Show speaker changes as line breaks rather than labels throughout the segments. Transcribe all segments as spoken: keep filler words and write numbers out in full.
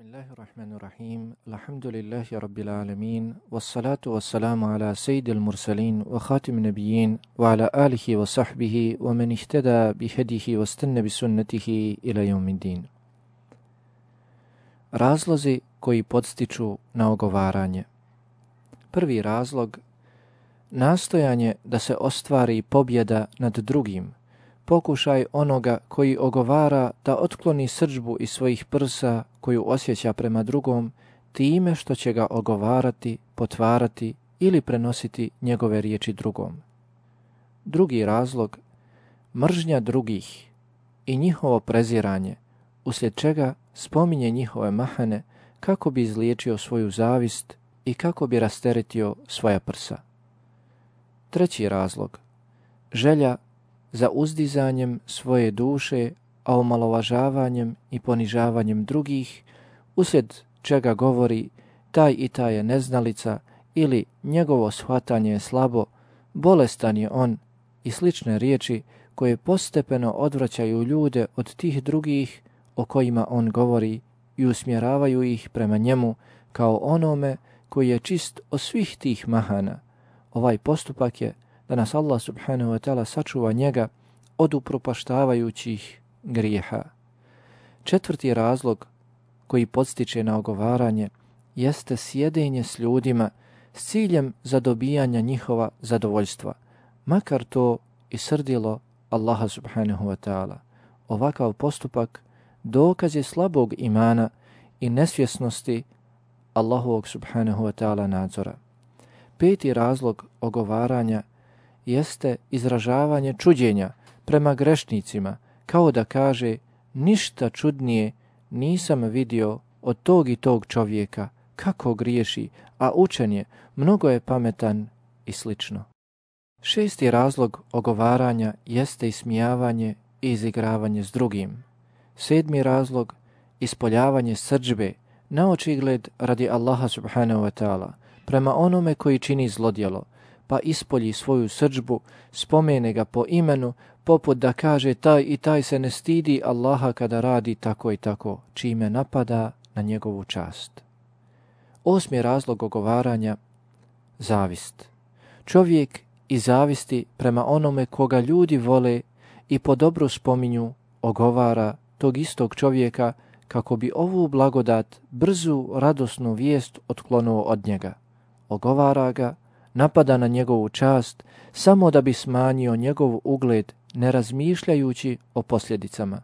Bismillahirrahmanirrahim. Alhamdulillahi rabbil alamin. Wassalatu wassalamu ala sayyidil mursalin wa khatimin nabiyyin wa ala alihi wa sahbihi wa man ihtada bihadihi wa istanna bi sunnatihi ila yawmiddin. Razlozi koji podstiču na ogovaranje. Prvi razlog, nastojanje da se ostvari pobjeda nad drugim. Pokušaj onoga koji ogovara da otkloni srdžbu iz svojih prsa koju osjeća prema drugom time što će ga ogovarati, potvarati ili prenositi njegove riječi drugom. Drugi razlog, mržnja drugih i njihovo preziranje, uslijed čega spominje njihove mahane kako bi izliječio svoju zavist i kako bi rasteretio svoja prsa. Treći razlog, želja za uzdizanjem svoje duše, a omalovažavanjem i ponižavanjem drugih, uslijed čega govori taj i taj je neznalica ili njegovo shvatanje je slabo, bolestan je on i slične riječi koje postepeno odvraćaju ljude od tih drugih o kojima on govori i usmjeravaju ih prema njemu kao onome koji je čist od svih tih mahana. Ovaj postupak je da nas Allah subhanahu wa ta'ala sačuva njega od upropaštavajućih grijeha. Četvrti razlog koji podstiče na ogovaranje jeste sjedenje s ljudima s ciljem zadobijanja njihova zadovoljstva, makar to i srdilo Allaha subhanahu wa ta'ala. Ovakav postupak dokaz je slabog imana i nesvjesnosti Allahovog subhanahu wa ta'ala nadzora. Peti razlog ogovaranja jeste izražavanje čuđenja prema grešnicima, kao da kaže ništa čudnije nisam vidio od tog i tog čovjeka, kako griješi, a učen je, mnogo je pametan i slično. Šesti razlog ogovaranja jeste ismijavanje i izigravanje s drugim. Sedmi razlog, ispoljavanje srdžbe, na očigled radi Allaha subhanahu wa ta'ala, prema onome koji čini zlodjelo, pa ispolji svoju srdžbu, spomene ga po imenu, poput da kaže taj i taj se ne stidi Allaha kada radi tako i tako, čime napada na njegovu čast. Osmi razlog ogovaranja, zavist. Čovjek iz zavisti prema onome koga ljudi vole i po dobru spominju ogovara tog istog čovjeka kako bi ovu blagodat, brzu, radosnu vijest otklonuo od njega. Ogovara ga, napada na njegovu čast, samo da bi smanjio njegov ugled, ne razmišljajući o posljedicama.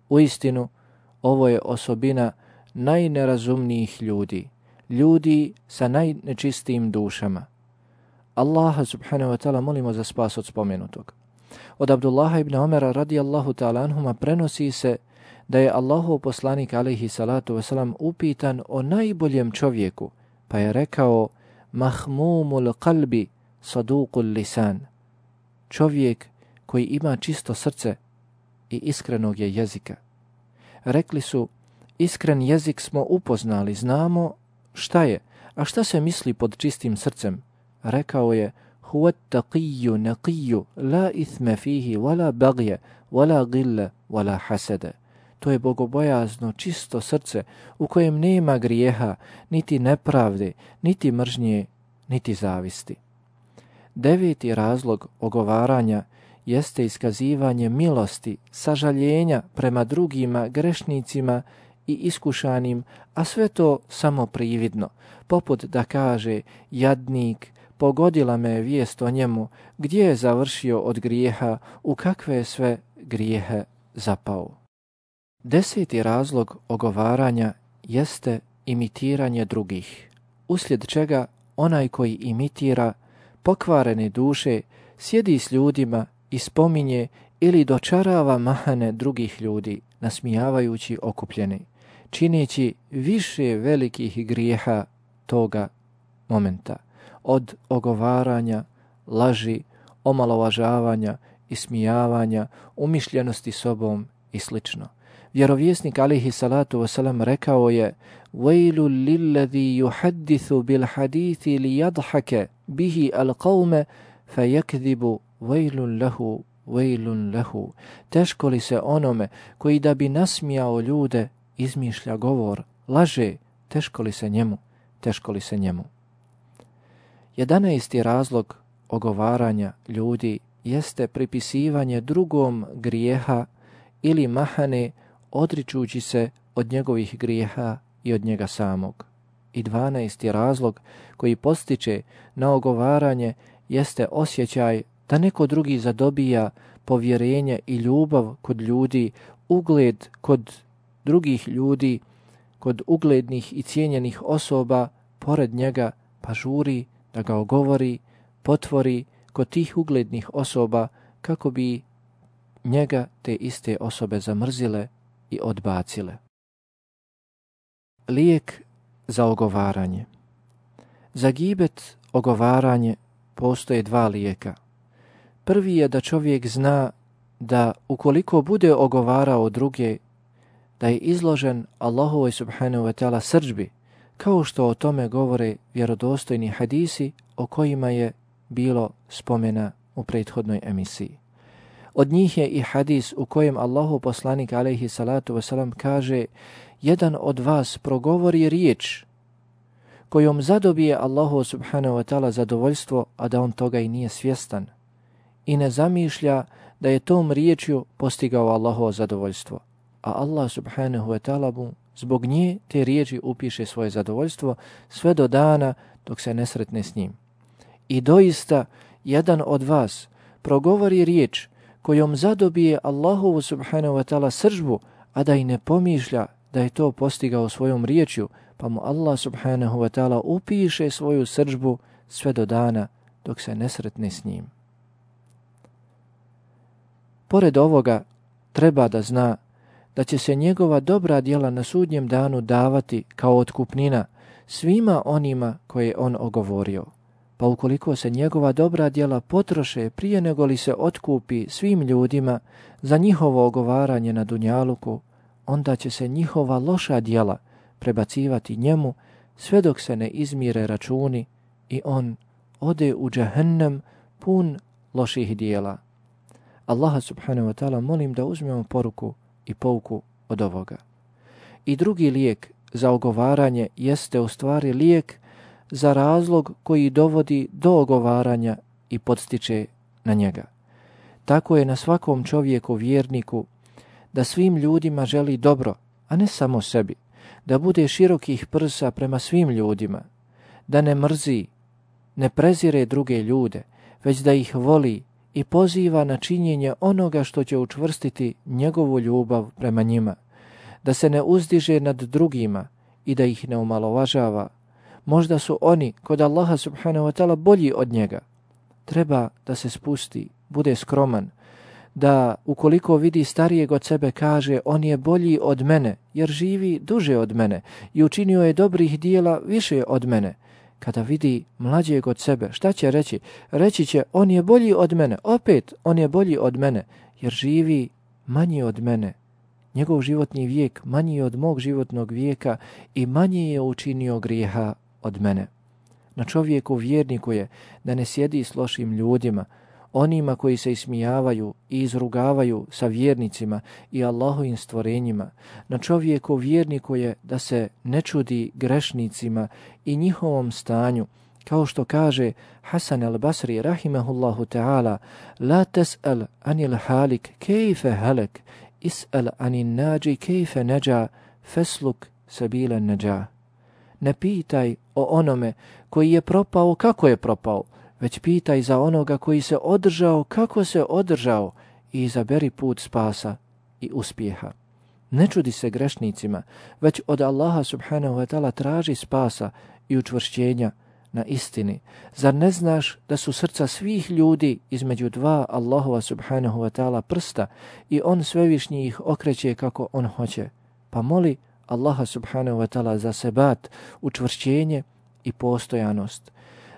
Uistinu, ovo je osobina najnerazumnijih ljudi, ljudi sa najnečistijim dušama. Allaha subhanahu wa ta'ala molimo za spas od spomenutog. Od Abdullaha ibn Omera radijallahu ta'ala anhuma prenosi se da je Allahov poslanik alejhi salatu wasalam upitan o najboljem čovjeku, pa je rekao mahmumul qalbi saduqul lisan, čovjek koji ima čisto srce i iskrenog je jezika. Rekli su, iskren jezik smo upoznali, znamo šta je, a šta se misli pod čistim srcem? Rekao je, huwa taqiyyu naqiyyu la ithma fihi wala bagya wala ghilla wala hasada. To je bogobojazno, čisto srce u kojem nema grijeha, niti nepravde, niti mržnje, niti zavisti. Deveti razlog ogovaranja jeste iskazivanje milosti, sažaljenja prema drugima, grešnicima i iskušanim, a sve to samo prividno, poput da kaže jadnik, pogodila me je vijest o njemu, gdje je završio od grijeha, u kakve je sve grijehe zapao. Deseti razlog ogovaranja jeste imitiranje drugih, uslijed čega onaj koji imitira pokvarene duše sjedi s ljudima i spominje ili dočarava mahane drugih ljudi, nasmijavajući okupljene, čineći više velikih grijeha toga momenta, od ogovaranja, laži, omalovažavanja, ismijavanja, umišljenosti sobom i slično. Vjerovjesnik alejhi salatu wasalam rekao je وَيْلُ لِلَّذِي يُحَدِّثُ بِالْحَدِيثِ لِيَضْحَكَ بِهِ الْقَوْمَ فَيَكْذِبُ وَيْلٌ لَهُ وَيْلٌ لَهُ. Teško li se onome koji da bi nasmijao ljude izmišlja govor, laže, teško li se njemu, teško li se njemu. Jedanaesti razlog ogovaranja ljudi jeste pripisivanje drugom grijeha ili mahane odričući se od njegovih grijeha i od njega samog. I dvanaesti razlog koji postiče na ogovaranje jeste osjećaj da neko drugi zadobija povjerenje i ljubav kod ljudi, ugled kod drugih ljudi, kod uglednih i cijenjenih osoba pored njega, pa žuri da ga ogovori, potvori kod tih uglednih osoba kako bi njega te iste osobe zamrzile i odbacile. Lijek za ogovaranje. Za gibet, ogovaranje, postoje dva lijeka. Prvi je da čovjek zna da ukoliko bude ogovarao druge, da je izložen Allahovoj subhanahu wa ta'ala srdžbi, kao što o tome govore vjerodostojni hadisi o kojima je bilo spomena u prethodnoj emisiji. Od njih je i hadis u kojem Allahov poslanik alejhi salatu vesselam kaže: jedan od vas progovori riječ kojom zadobije Allahu subhanahu wa ta'ala zadovoljstvo, a da on toga i nije svjestan i ne zamišlja da je tom riječju postigao Allahovo zadovoljstvo, a Allah subhanahu wa ta'ala mu zbog nje te riječi upiše svoje zadovoljstvo sve do dana dok se ne sretne s njim. I doista jedan od vas progovori riječ kojom zadobije Allahovu subhanahu wa ta'ala sržbu, a da i ne pomišlja da je to postigao svojom riječju, pa mu Allah subhanahu wa ta'ala upiše svoju sržbu sve do dana dok se ne sretne s njim. Pored ovoga, treba da zna da će se njegova dobra djela na sudnjem danu davati kao otkupnina svima onima koje on ogovorio. Pa ukoliko se njegova dobra djela potroše prije nego li se otkupi svim ljudima za njihovo ogovaranje na dunjaluku, onda će se njihova loša djela prebacivati njemu sve dok se ne izmire računi i on ode u džehennem pun loših djela. Allaha subhanahu wa ta'ala molim da uzmemo poruku i pouku od ovoga. I drugi lijek za ogovaranje jeste u stvari lijek za razlog koji dovodi do ogovaranja i podstiče na njega. Tako je na svakom čovjeku vjerniku da svim ljudima želi dobro, a ne samo sebi, da bude širokih prsa prema svim ljudima, da ne mrzi, ne prezire druge ljude, već da ih voli i poziva na činjenje onoga što će učvrstiti njegovu ljubav prema njima, da se ne uzdiže nad drugima i da ih ne omalovažava. Možda su oni kod Allaha subhanahu wa ta'ala bolji od njega. Treba da se spusti, bude skroman, da ukoliko vidi starijeg od sebe kaže on je bolji od mene jer živi duže od mene i učinio je dobrih dijela više od mene. Kada vidi mlađeg od sebe, šta će reći? Reći će on je bolji od mene, opet on je bolji od mene jer živi manje od mene. Njegov životni vijek manji od mog životnog vijeka i manje je učinio grijeha od mene. Na čovjeku vjerniku je da ne sjedi s lošim ljudima, onima koji se ismijavaju i izrugavaju sa vjernicima i Allahovim stvorenjima. Na čovjeku vjerniku je da se ne čudi grešnicima i njihovom stanju, kao što kaže Hasan al-Basri rahimahullahu ta'ala: la tes'al anil halik kejfe halek, is'al anin nađi kejfe neđa, fesluk sabila neđa. Ne pitaj o onome koji je propao kako je propao, već pitaj za onoga koji se održao kako se održao i izaberi put spasa i uspjeha. Ne čudi se grešnicima, već od Allaha subhanahu wa ta'ala traži spasa i učvršćenja na istini. Zar ne znaš da su srca svih ljudi između dva Allahova subhanahu wa ta'ala prsta i on svevišnji ih okreće kako on hoće? Pa moli Allaha subhanahu wa ta'ala za sebat, učvršćenje i postojanost.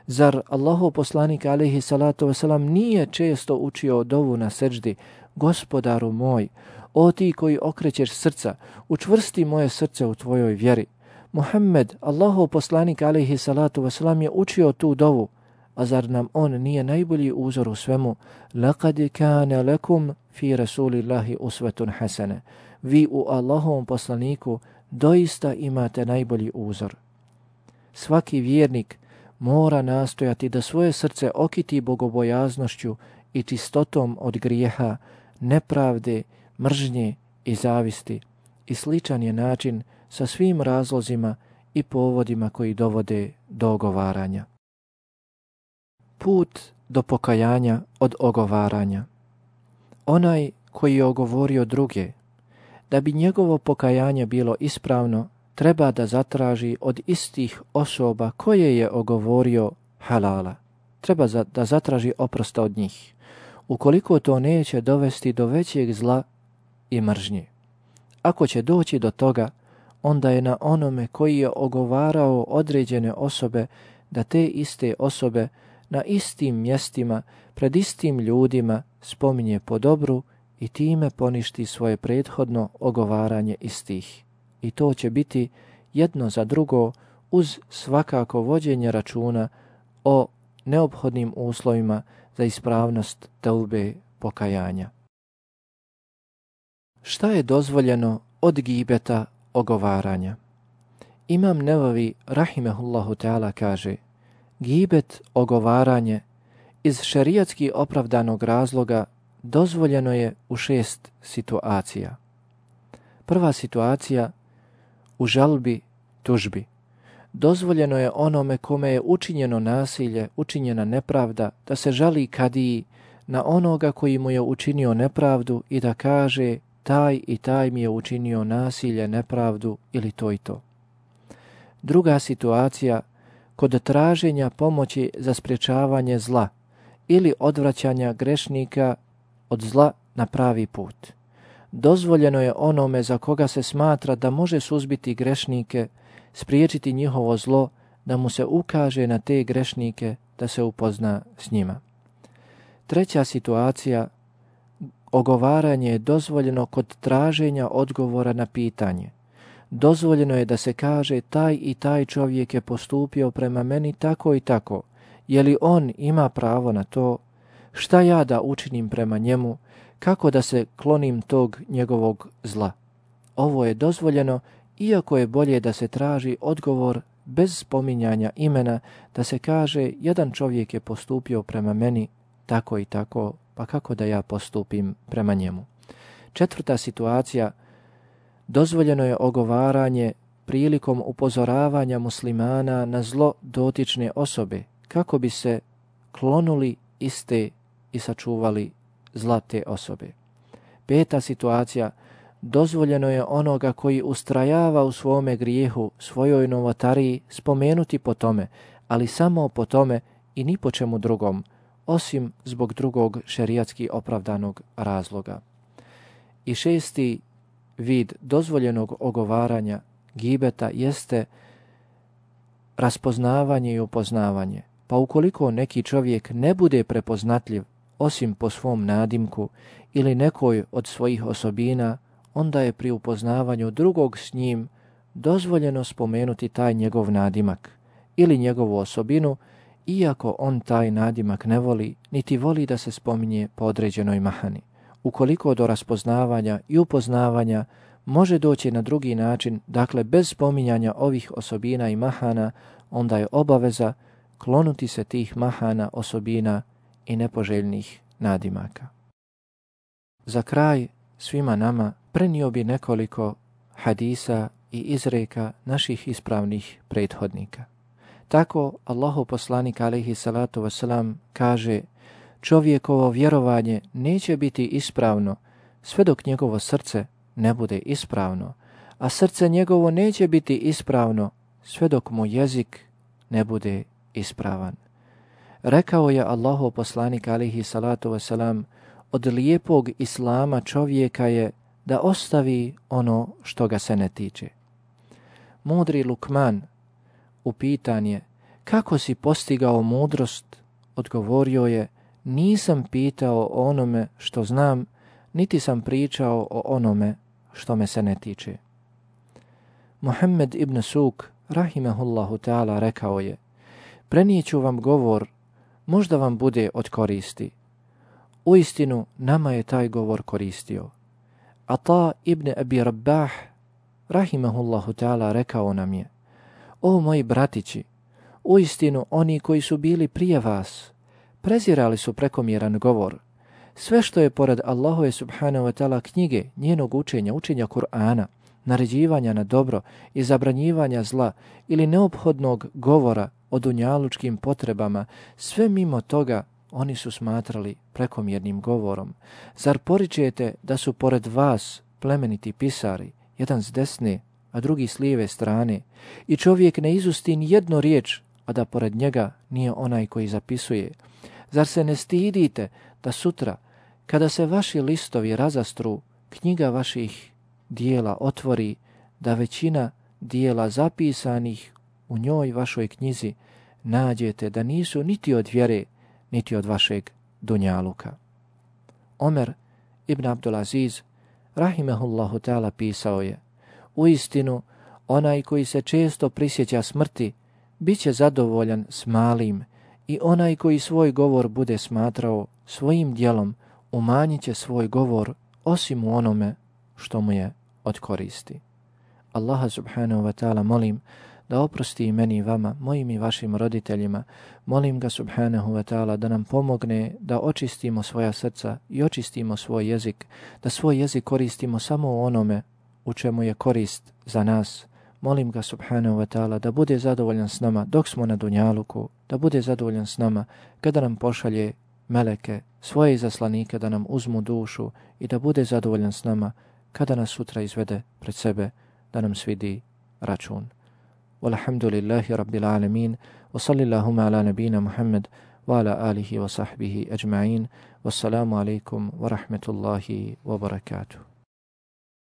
Zar Allahov poslanik alejhi salatu vesselam nije često učio dovu na seđdi: Gospodaru moj, o ti koji okrećeš srca, učvrsti moje srce u tvojoj vjeri. Muhammed, Allahov poslanik alejhi salatu vesselam je učio tu dovu, a zar nam on nije najbolji uzor u svemu? Laqad kana lakum fi rasulillahi uswatun hasana. Vi u Allahovom poslaniku doista imate najbolji uzor. Svaki vjernik mora nastojati da svoje srce okiti bogobojaznošću i čistotom od grijeha, nepravde, mržnje i zavisti, i sličan je način sa svim razlozima i povodima koji dovode do ogovaranja. Put do pokajanja od ogovaranja. Onaj koji je ogovorio druge, da bi njegovo pokajanje bilo ispravno, treba da zatraži od istih osoba koje je ogovorio halala. Treba za, da zatraži oprosta od njih, ukoliko to neće dovesti do većeg zla i mržnje. Ako će doći do toga, onda je na onome koji je ogovarao određene osobe da te iste osobe na istim mjestima, pred istim ljudima spominje po dobru i time poništi svoje prethodno ogovaranje istih. I to će biti jedno za drugo uz svakako vođenje računa o neophodnim uslovima za ispravnost teube pokajanja. Šta je dozvoljeno od gibeta ogovaranja? Imam Nevavi rahimehullahu ta'ala kaže: gibet, ogovaranje, iz šerijatski opravdanog razloga dozvoljeno je u šest situacija. Prva situacija, u žalbi, tužbi. Dozvoljeno je onome kome je učinjeno nasilje, učinjena nepravda, da se žali kadiji na onoga koji mu je učinio nepravdu i da kaže: taj i taj mi je učinio nasilje, nepravdu ili to i to. Druga situacija, kod traženja pomoći za sprječavanje zla ili odvraćanja grešnika od zla na pravi put. Dozvoljeno je onome za koga se smatra da može suzbiti grešnike, spriječiti njihovo zlo, da mu se ukaže na te grešnike, da se upozna s njima. Treća situacija, ogovaranje je dozvoljeno kod traženja odgovora na pitanje. Dozvoljeno je da se kaže: taj i taj čovjek je postupio prema meni tako i tako. Je li on ima pravo na to? Šta ja da učinim prema njemu? Kako da se klonim tog njegovog zla? Ovo je dozvoljeno, iako je bolje da se traži odgovor bez spominjanja imena, da se kaže: jedan čovjek je postupio prema meni tako i tako, pa kako da ja postupim prema njemu? Četvrta situacija, dozvoljeno je ogovaranje prilikom upozoravanja muslimana na zlo dotične osobe, kako bi se klonuli iste i sačuvali zla te osobe. Peta situacija, dozvoljeno je onoga koji ustrajava u svome grijehu, svojoj novotariji, spomenuti po tome, ali samo po tome i ni po čemu drugom, osim zbog drugog šerijatski opravdanog razloga. I šesti vid dozvoljenog ogovaranja gibeta jeste raspoznavanje i upoznavanje. Pa ukoliko neki čovjek ne bude prepoznatljiv osim po svom nadimku ili nekoj od svojih osobina, onda je pri upoznavanju drugog s njim dozvoljeno spomenuti taj njegov nadimak ili njegovu osobinu, iako on taj nadimak ne voli, niti voli da se spominje po određenoj mahani. Ukoliko do raspoznavanja i upoznavanja može doći na drugi način, dakle bez spominjanja ovih osobina i mahana, onda je obaveza klonuti se tih mahana, osobina i nepoželjnih nadimaka. Za kraj svima nama prenio bi nekoliko hadisa i izreka naših ispravnih prethodnika. Tako Allahov poslanik alejhi salatu vesselam kaže: čovjekovo vjerovanje neće biti ispravno sve dok njegovo srce ne bude ispravno, a srce njegovo neće biti ispravno sve dok mu jezik ne bude ispravan. Rekao je Allahov poslanik alejhi salatu vesselam: od lijepog islama čovjeka je da ostavi ono što ga se ne tiče. Mudri Lukman, upitan je: kako si postigao mudrost? Odgovorio je: nisam pitao o onome što znam, niti sam pričao o onome što me se ne tiče. Muhammed ibn Suk, rahimehullahu ta'ala, rekao je: prenijeću vam govor, možda vam bude od koristi. Uistinu nama je taj govor koristio. Ata ibn Abi Rabah, rahimahullahu ta'ala, rekao nam je: O moji bratići, uistinu oni koji su bili prije vas prezirali su prekomjeran govor. Sve što je pored Allahove subhanahu wa ta'ala knjige, njenog učenja, učenja Kur'ana, naređivanja na dobro i zabranjivanja zla ili neophodnog govora o dunjalučkim potrebama, sve mimo toga oni su smatrali prekomjernim govorom. Zar poričete da su pored vas plemeniti pisari, jedan s desne, a drugi s lijeve strane, i čovjek ne izusti ni jednu riječ, a da pored njega nije onaj koji zapisuje? Zar se ne stidite da sutra, kada se vaši listovi razastru, knjiga vaših dijela otvori, da većina dijela zapisanih u njoj vašoj knjizi nađete da nisu niti od vjere, niti od vašeg dunjaluka? Omer ibn Abdulaziz, rahimehullahu ta'ala, pisao je: Uistinu, onaj koji se često prisjeća smrti, bit će zadovoljan s malim, i onaj koji svoj govor bude smatrao svojim djelom, umanjit će svoj govor osim u onome što mu je od koristi. Allaha subhanahu wa ta'ala molim da oprosti i meni i vama, mojim i vašim roditeljima. Molim ga subhanahu wa ta'ala da nam pomogne da očistimo svoja srca i očistimo svoj jezik, da svoj jezik koristimo samo u onome u čemu je korist za nas. Molim ga subhanahu wa ta'ala da bude zadovoljan s nama dok smo na dunjaluku, da bude zadovoljan s nama kada nam pošalje meleke, svoje izaslanike da nam uzmu dušu, i da bude zadovoljan s nama kada nas sutra izvede pred sebe da nam svidi račun. Walhamdulillahi rabbil alamin, wa sallillahuma ala nabina Muhammad wa ala alihi wa sahbihi ajma'in. Wassalamu alaikum wa rahmetullahi wa barakatuh.